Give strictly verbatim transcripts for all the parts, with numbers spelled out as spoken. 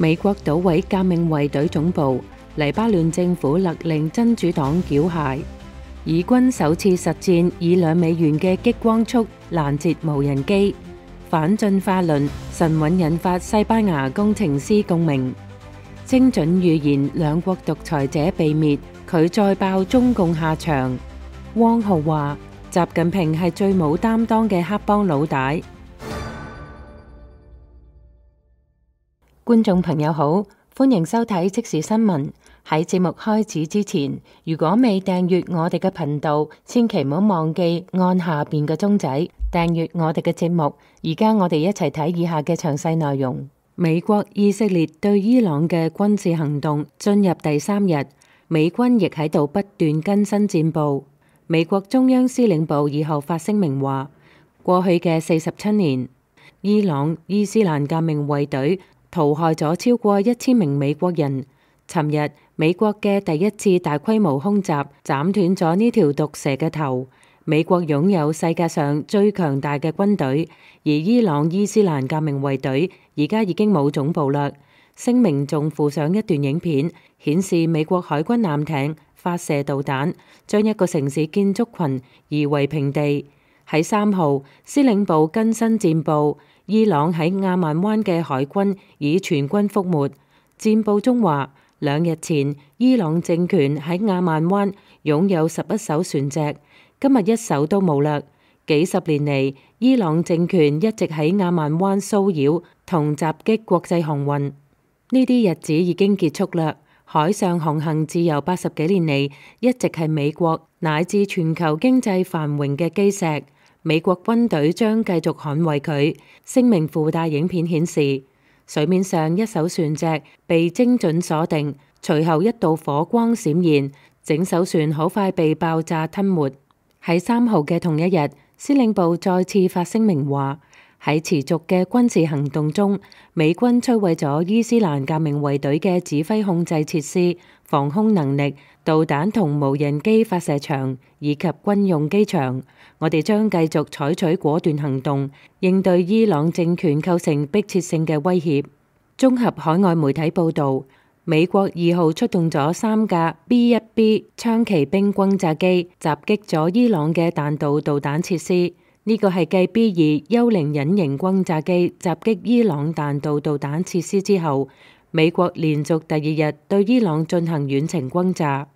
美國搗毀革命衛隊總部，黎巴嫩政府勒令真主黨繳械。以軍首次實戰以兩美元嘅激光速攔截無人機。反進化論神韻引發西班牙工程師共鳴。精準預言兩國獨裁者被滅，佢再爆中共下場。汪浩話：習近平係最冇擔當嘅黑幫老大。觀眾朋友好，歡迎收睇即時新聞。喺節目開始之前，如果未訂閱我哋嘅頻道，千祈唔好忘記按下邊嘅鐘仔訂閱我哋嘅節目。而家我哋一齊睇以下嘅詳細內容。美國、以色列對伊朗嘅軍事行動進入第三日，美軍亦喺度不斷更新戰報。美國中央司令部二號發聲明話，過去嘅四十七年，伊朗伊斯蘭革命衛隊屠害咗超過一千名美國人。尋日，美國嘅第一次大規模空襲斬斷咗呢條毒蛇嘅頭。美國擁有世界上最強大嘅軍隊，而伊朗伊斯蘭革命衛隊而家已經冇總部啦。聲明仲附上一段影片，顯示美國海軍艦艇發射導彈，將一個城市建築群夷為平地。喺三號，司令部更新戰報，伊朗喺亞曼灣嘅海軍已全軍覆沒。戰報中話，兩日前，伊朗政權喺亞曼灣擁有十一艘船隻，今日一艘都冇啦。幾十年嚟，伊朗政權一直喺亞曼灣騷擾同襲擊國際航運，呢啲日子已經結束啦。海上航行自由八十幾年嚟，一直係美國乃至全球經濟繁榮嘅基石。美國軍隊將繼續捍衛佢。聲明附帶影片顯示，水面上一艘船隻被精準鎖定，隨後一道火光閃現，整艘船好快被爆炸吞沒。喺三號嘅同一日，司令部再次發聲明話，喺持續嘅軍事行動中，美軍摧毀咗伊斯蘭革命衛隊嘅指揮控制設施、防空能力、導彈同無人機發射場以及軍用機場。我哋將繼續採取果斷行動，應對伊朗政權構成迫切性嘅威脅。綜合海外媒體報導，美國二號出動咗三架 B 一 B 槍騎兵轟炸機，襲擊咗伊朗嘅彈道導彈設施。呢個係繼 B 二幽靈隱形轟炸機襲擊伊朗彈道導彈設施之後，美國連續第二日對伊朗進行遠程轟炸。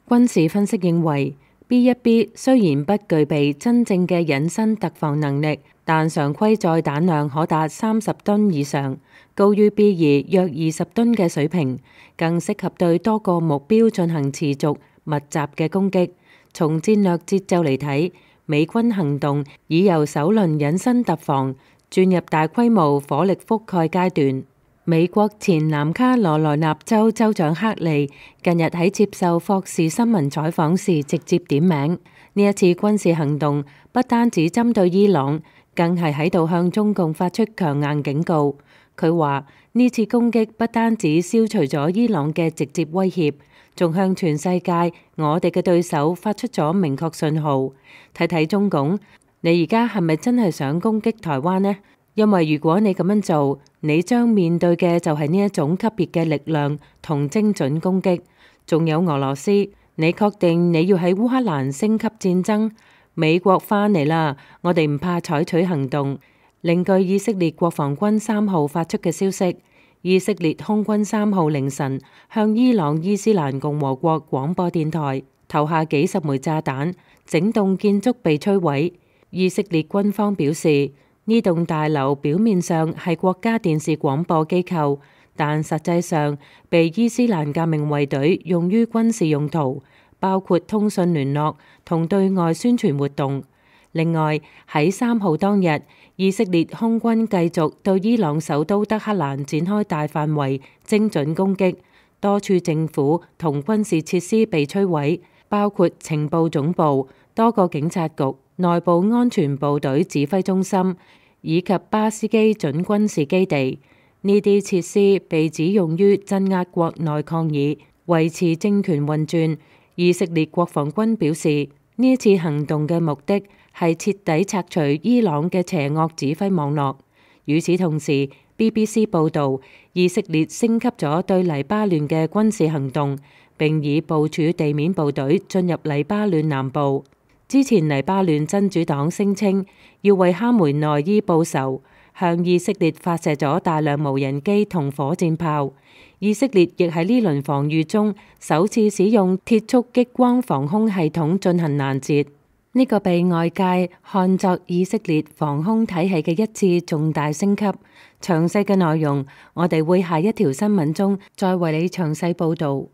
軍事分析認為，B 一 B 雖然不具備真正嘅隱身突防能力，但常規載彈量可達三十噸以上，高於 B 二約二十噸嘅水平，更適合對多個目標進行持續密集嘅攻擊。從戰略節奏嚟睇，美軍行動已由首輪隱身突防轉入大規模火力覆蓋階段。美國前南卡羅來納州州長克利近日喺接受霍士新聞採訪時直接點名，呢一次軍事行動不單止針對伊朗，更係喺度向中共發出強硬警告。佢話呢次攻擊不單止消除咗伊朗嘅直接威脅，仲向全世界我哋嘅對手發出咗明確信號。睇睇中共，你而家係咪真係想攻擊台灣呢？因為如果你咁樣做，你將面對嘅就係呢一種級別嘅力量同精準攻擊。仲有俄羅斯，你確定你要喺烏克蘭升級戰爭？美國返嚟啦，我哋唔怕採取行動。另據以色列國防軍三號發出嘅消息，以色列空軍三號凌晨向伊朗伊斯蘭共和國廣播電台投下幾十枚炸彈，整棟建築被摧毀。以色列軍方表示，呢棟大樓表面上係國家電視廣播機構，但實際上被伊斯蘭革命衛隊用於軍事用途，包括通訊聯絡同對外宣傳活動。另外喺三號當日，以色列空軍繼續對伊朗首都德黑蘭展開大範圍精準攻擊，多處政府同軍事設施被摧毀，包括情報總部、多個警察局、內部安全部隊指揮中心以及巴斯基準軍事基地。呢啲設施被指用於鎮壓國內抗議，維持政權運轉。以色列國防軍表示，呢一次行動嘅目的係徹底拆除伊朗嘅邪惡指揮網絡。與此同時， B B C 報導，以色列升級咗對黎巴嫩嘅軍事行動，並已部署地面部隊進入黎巴嫩南部。之前黎巴嫩真主黨聲稱要為哈梅內伊報仇，向以色列發射咗大量無人機同火箭炮。以色列亦喺呢輪防禦中首次使用鐵束激光防空系統進行攔截。呢個被外界看作以色列防空體系嘅一次重大升級。詳細嘅內容，我哋會下一條新聞中再為你詳細報導。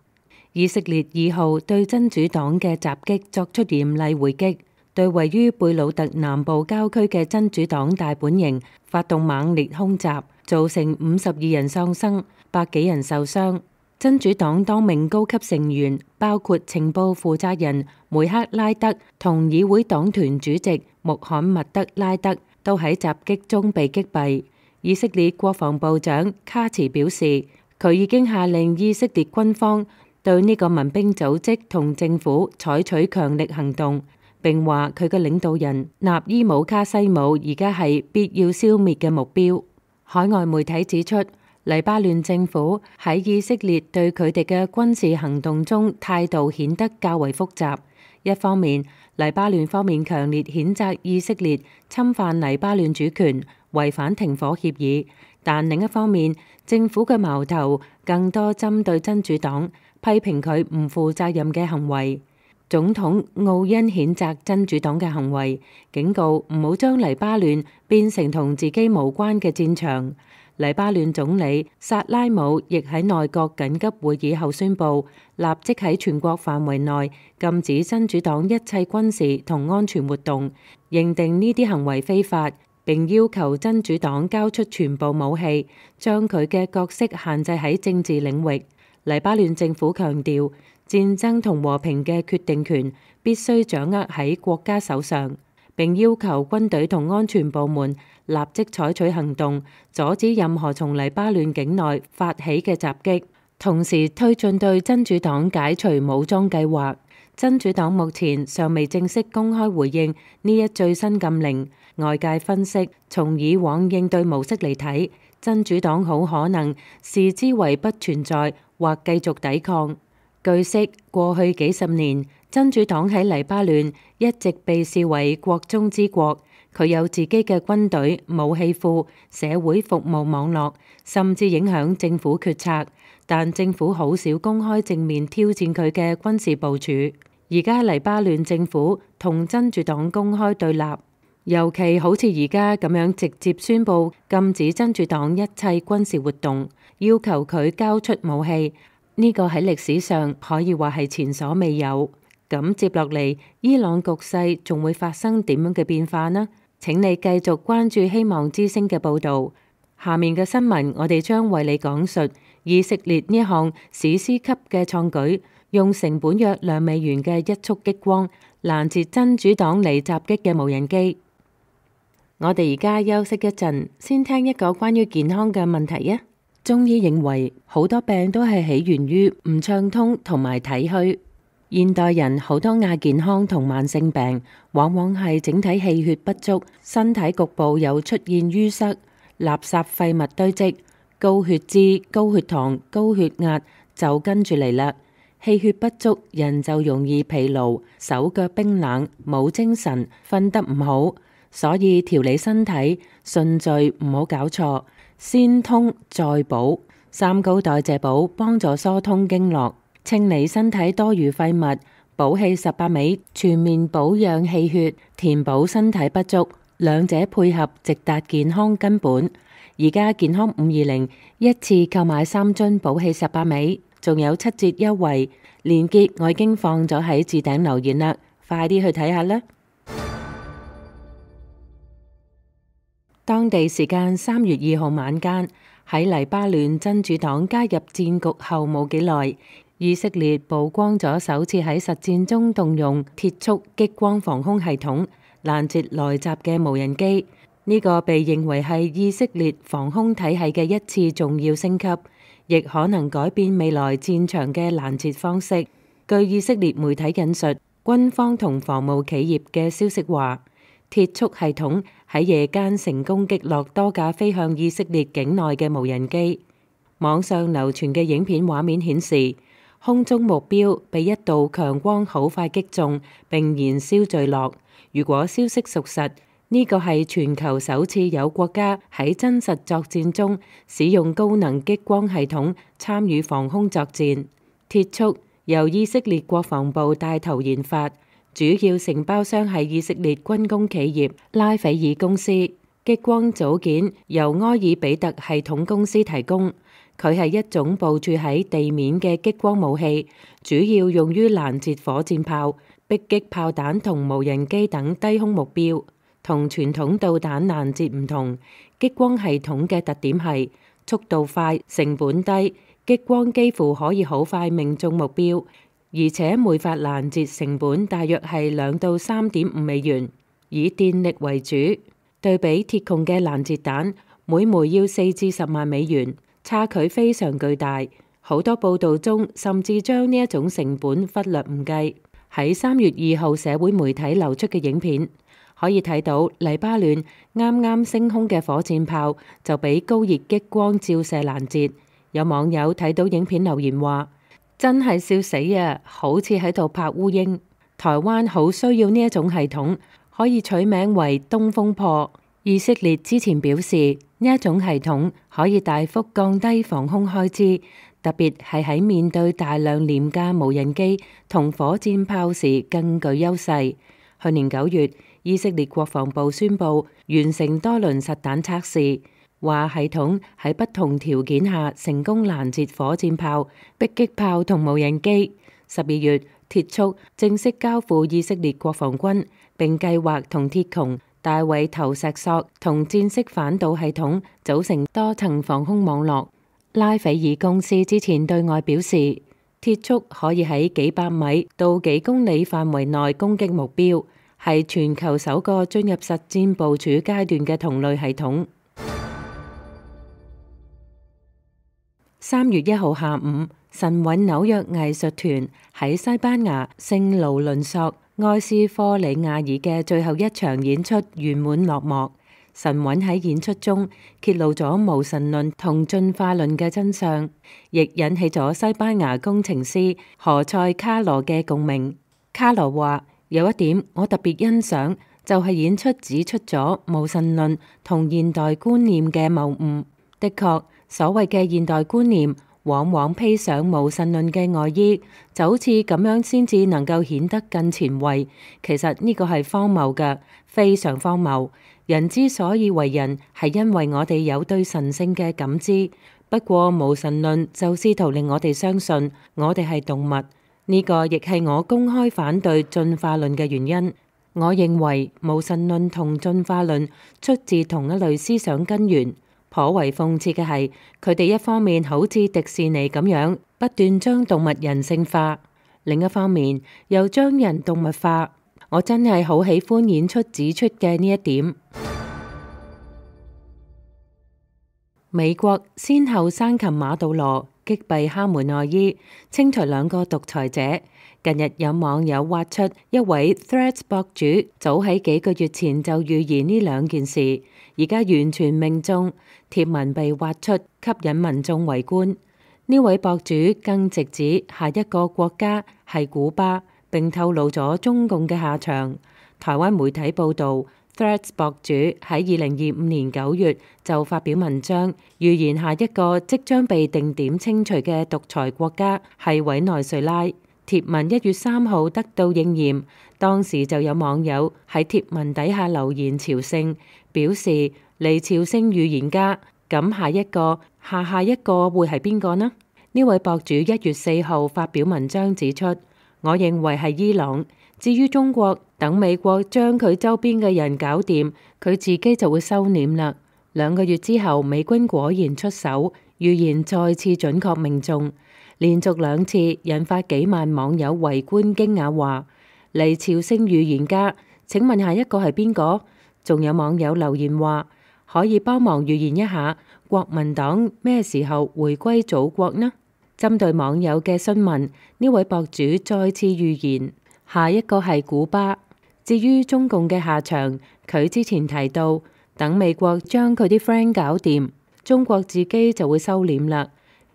以色列二號對真主黨嘅襲擊作出嚴厲回擊，對位於貝魯特南部郊區嘅真主黨大本營發動猛烈空襲，造成五十二人喪生，百幾人受傷。真主黨多名高級成員，包括情報負責人梅克拉德同議會黨團主席穆罕默德拉德，都喺襲擊中被擊斃。以色列國防部長卡茨表示，佢已經下令以色列軍方對呢個民兵組織同政府採取強力行動，並話佢嘅領導人納伊姆卡西姆而家係必要消滅嘅目標。海外媒體指出，黎巴嫩政府喺以色列對佢哋嘅軍事行動中態度顯得較為複雜。一方面，黎巴嫩方面強烈譴責以色列侵犯黎巴嫩主權，違反停火協議，但另一方面，政府嘅矛頭更多針對真主黨，批評佢唔負責任嘅行為。總統奧恩譴責真主黨嘅行為，警告唔好將黎巴嫩變成同自己無關嘅戰場。黎巴嫩總理薩拉姆亦喺內閣緊急會議後宣布，立即喺全國範圍內禁止真主黨一切軍事同安全活動，認定呢啲行為非法，並要求真主黨交出全部武器，將佢嘅角色限制喺政治領域。黎巴嫩政府強調，戰爭同和平嘅決定權必須掌握喺國家手上，並要求軍隊同安全部門立即採取行動，阻止任何從黎巴嫩境內發起嘅襲擊，同時推進對真主黨解除武裝計劃。真主黨目前尚未正式公開回應呢一最新禁令。外界分析，從以往應對模式嚟睇，真主黨好可能視之為不存在或繼續抵抗。據悉，過去幾十年，真主黨喺黎巴嫩一直被視為國中之國，佢有自己嘅軍隊、武器庫、社會服務網絡，甚至影響政府決策。但政府好少公開正面挑戰佢嘅軍事部署。而家黎巴嫩政府同真主黨公開對立，尤其好似而家咁樣直接宣布禁止真主黨一切軍事活動，要求佢交出武器。呢個喺歷史上可以話係前所未有。咁接落嚟，伊朗局勢仲會發生點樣嘅變化呢？請你繼續關注希望之聲嘅報導。下面嘅新聞，我哋將為你講述以色列呢項史詩級嘅創舉，用成本約兩美元嘅一束激光攔截真主黨嚟襲擊嘅無人機。我哋而家休息一陣，先聽一個關於健康嘅問題啊！中醫認為好多病都係起源於唔暢通同埋體虛。現代人好多亞健康同慢性病，往往係整體氣血不足，身體局部有出現淤塞、垃圾廢物堆積、高血脂、高血糖、高血壓就跟住嚟啦。氣血不足，人就容易疲勞、手腳冰冷、冇精神、瞓得唔好。所以調理身體順序唔好搞錯。先通再補，三高代謝補幫助疏通經絡，清理身體多餘廢物，補氣十八味全面保養氣血，填補身體不足，兩者配合直達健康根本。而家健康五二零一次購買三樽補氣十八味，仲有七折優惠，鏈接我已經放咗喺置頂留言啦，快啲去睇下啦！當地時間三月二號晚間，喺黎巴嫩真主黨加入戰局後冇幾耐，以色列曝光咗首次喺實戰中動用鐵束激光防空系統攔截來襲嘅無人機。呢、這個被認為係以色列防空體系嘅一次重要升級，亦可能改變未來戰場嘅攔截方式。據以色列媒體引述軍方同防務企業嘅消息話，鐵束系統喺夜間成功擊落多架飛向以色列境內嘅無人機。網上流傳嘅影片畫面顯示，空中目標被一道強光好快擊中並燃燒墜落。如果消息屬實，呢個係全球首次有國家喺真實作戰中使用高能激光系統參與防空作戰。鐵束由以色列國防部帶頭研發，主要承包商係以色列軍工企業拉斐爾公司。激光組件由埃爾比特系統公司提供，佢係一種部署喺地面嘅激光武器，主要用於攔截火箭炮、迫擊炮彈同無人機等低空目標。同傳統導彈攔截唔同，激光系統嘅特點係速度快、成本低，激光幾乎可以好快命中目標，而且每發攔截成本大約係兩到三點五美元，以電力為主。對比鐵穹嘅攔截彈，每枚要四至十萬美元，差距非常巨大。好多報道中甚至將呢一種成本忽略唔計。喺三月二號社會媒體流出嘅影片，可以睇到黎巴嫩啱啱升空嘅火箭炮就俾高熱激光照射攔截。有網友睇到影片留言話：真係笑死啊，好似喺度拍烏蠅。台灣好需要呢一種系統，可以取名為東風破。以色列之前表示，呢一種系統可以大幅降低防空開支，特別係喺面對大量廉價無人機同火箭炮時更具優勢。去年九月，以色列國防部宣布完成多輪實彈測試，話系統喺不同條件下成功攔截火箭炮、迫擊炮同無人機。十二月，鐵束正式交付以色列國防軍，並計劃同鐵穹、大衛投石索同戰式反導系統組成多層防空網絡。拉斐爾公司之前對外表示，鐵束可以喺幾百米到幾公里範圍內攻擊目標，係全球首個進入實戰部署階段嘅同類系統。三月一號下午，神韻紐約藝術團喺西班牙聖勞倫索埃斯科里亞爾嘅最後一場演出圓滿落幕。神韻喺演出中揭露咗無神論同進化論嘅真相，亦引起咗西班牙工程師何塞卡羅嘅共鳴。卡羅話：有一點我特別欣賞，就係演出指出咗無神論同現代觀念嘅謬誤。的確，所謂嘅現代觀念往往披上無神論嘅外衣，就好似咁樣先至能夠顯得更前衛。其實呢個係荒謬嘅，非常荒謬。人之所以為人，係因為我哋有對神性嘅感知。不過無神論就試圖令我哋相信我哋係動物。呢個亦係我公開反對進化論嘅原因。我認為無神論同進化論出自同一類思想根源。頗為諷刺嘅係，佢哋一方面好似迪士尼咁樣不斷將動物人性化，另一方面又將人動物化。我真係好喜歡演出指出嘅呢一點。美國先後生擒馬杜羅、擊斃哈梅內伊、清除兩個獨裁者。近日有網友挖出一位 Threads 博主早喺幾個月前就預言呢兩件事，而家完全命中。貼文被挖出，吸引民眾圍觀。呢位博主更直指下一個國家係古巴，並透露咗中共嘅下場。台灣媒體報導，Threads 博主喺二零二五年九月就發表文章，預言下一個即將被定點清除嘅獨裁國家係委內瑞拉。貼文一月三號得到應驗，當時就有網友喺貼文底下留言朝聖，表示嚟朝聖預言家。咁下一個下下一個會係邊個呢？呢位博主一月四號發表文章指出，我認為係伊朗。至於中國，等美國將佢周邊嘅人搞掂，佢自己就會收斂啦。兩個月之後，美軍果然出手，預言再次準確命中，連續兩次引發幾萬網友圍觀驚訝話：嚟朝聖預言家，請問下一個係邊個？仲有網友留言話：可以幫忙預言一下國民黨咩時候回歸祖國呢？針對網友嘅詢問，呢位博主再次預言下一個係古巴。至於中共嘅下場，佢之前提到，等美國將佢啲 friend 搞掂，中國自己就會收斂啦。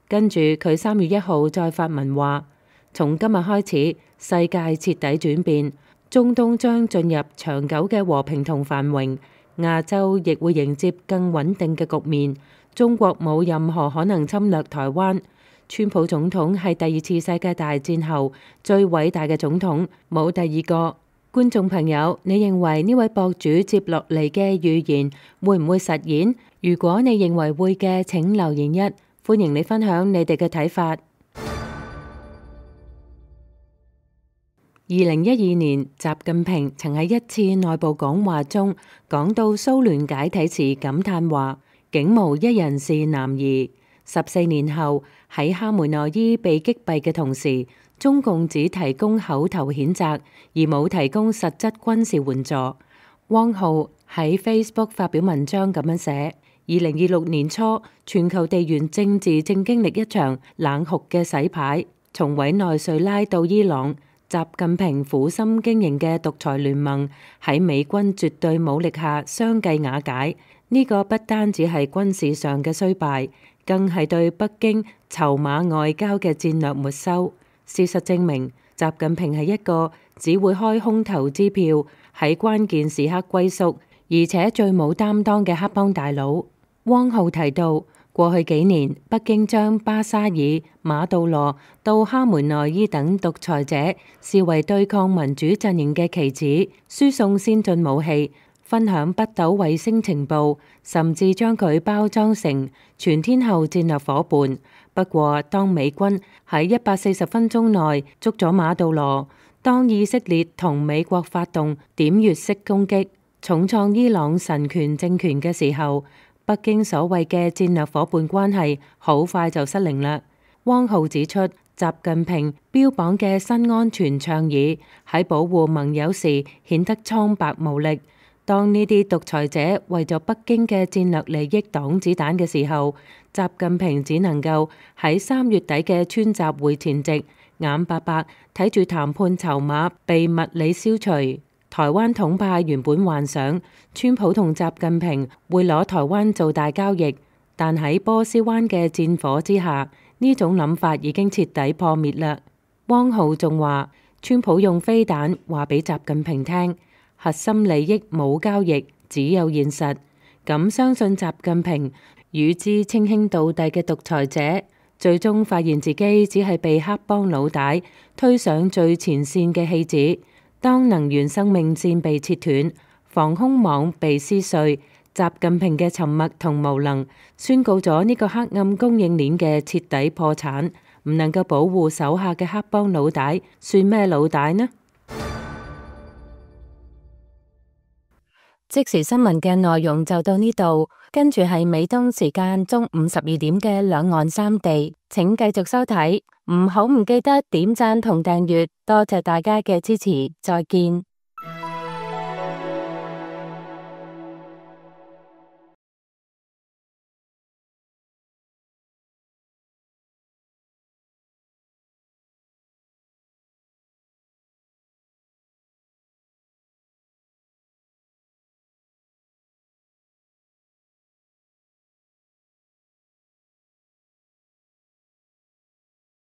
跟住佢三月一號再發文話，從今日開始，世界徹底轉變，中東將進入長久嘅和平同繁榮，亞洲亦會迎接更穩定嘅局面。中國冇任何可能侵略台灣。川普總統係第二次世界大戰後最偉大嘅總統，冇第二個。觀眾朋友，你認為呢位博主接落嚟嘅預言會唔會實現？如果你認為會嘅，請留言一，歡迎你分享你哋嘅睇法。二零一二年，習近平曾喺一次內部講話中講到蘇聯解體時感嘆話，竟無一人是男兒。十四年後，喺哈梅內伊被擊斃嘅同時，中共只提供口頭譴責，而冇提供實質軍事援助。汪浩喺 Facebook 發表文章咁樣寫：二零二六年初，全球地緣政治正經歷一場冷酷嘅洗牌，從委內瑞拉到伊朗，習近平苦心經營嘅獨裁聯盟喺美軍絕對武力下相繼瓦解。呢、這個不單只係軍事上嘅衰敗，更係對北京籌碼外交嘅戰略沒收。事實證明，習近平係一個只會開空頭支票，喺關鍵時刻龜縮，而且最冇擔當嘅黑幫大佬。汪浩提到，過去幾年，北京將巴沙爾、馬杜羅到哈梅內伊等獨裁者視為對抗民主陣營嘅棋子，輸送先進武器，分享北斗衛星情報，甚至將佢包裝成全天候戰略夥伴。不過，當美軍喺一百四十分鐘內捉咗馬杜羅，當以色列同美國發動點穴式攻擊，重創伊朗神權政權嘅時候，北京所謂嘅戰略夥伴關係好快就失靈啦。汪浩指出，習近平標榜嘅新安全倡議喺保護盟友時顯得蒼白無力。當呢啲獨裁者為咗北京嘅戰略利益擋子彈嘅時候，習近平只能夠喺三月底嘅川習會前夕，眼白白睇住談判籌碼被物理消除。台灣統派原本幻想川普同習近平會攞台灣做大交易，但喺波斯灣嘅戰火之下，呢種諗法已經徹底破滅啦。汪浩仲話，川普用飛彈話俾習近平聽，核心利益冇交易，只有現實。咁相信習近平與之稱兄道弟嘅獨裁者，最終發現自己只係被黑幫老大推上最前線嘅戲子。當能源生命線被切斷，防空網被撕碎，習近平嘅沉默同無能，宣告咗呢個黑暗供應鏈嘅徹底破產。唔能夠保護手下嘅黑幫老大，算咩老大呢？即時新聞嘅內容就到呢度，跟住係美東時間中午十二點嘅兩岸三地，請繼續收睇，唔好唔記得點讚同訂閱，多謝大家嘅支持，再見。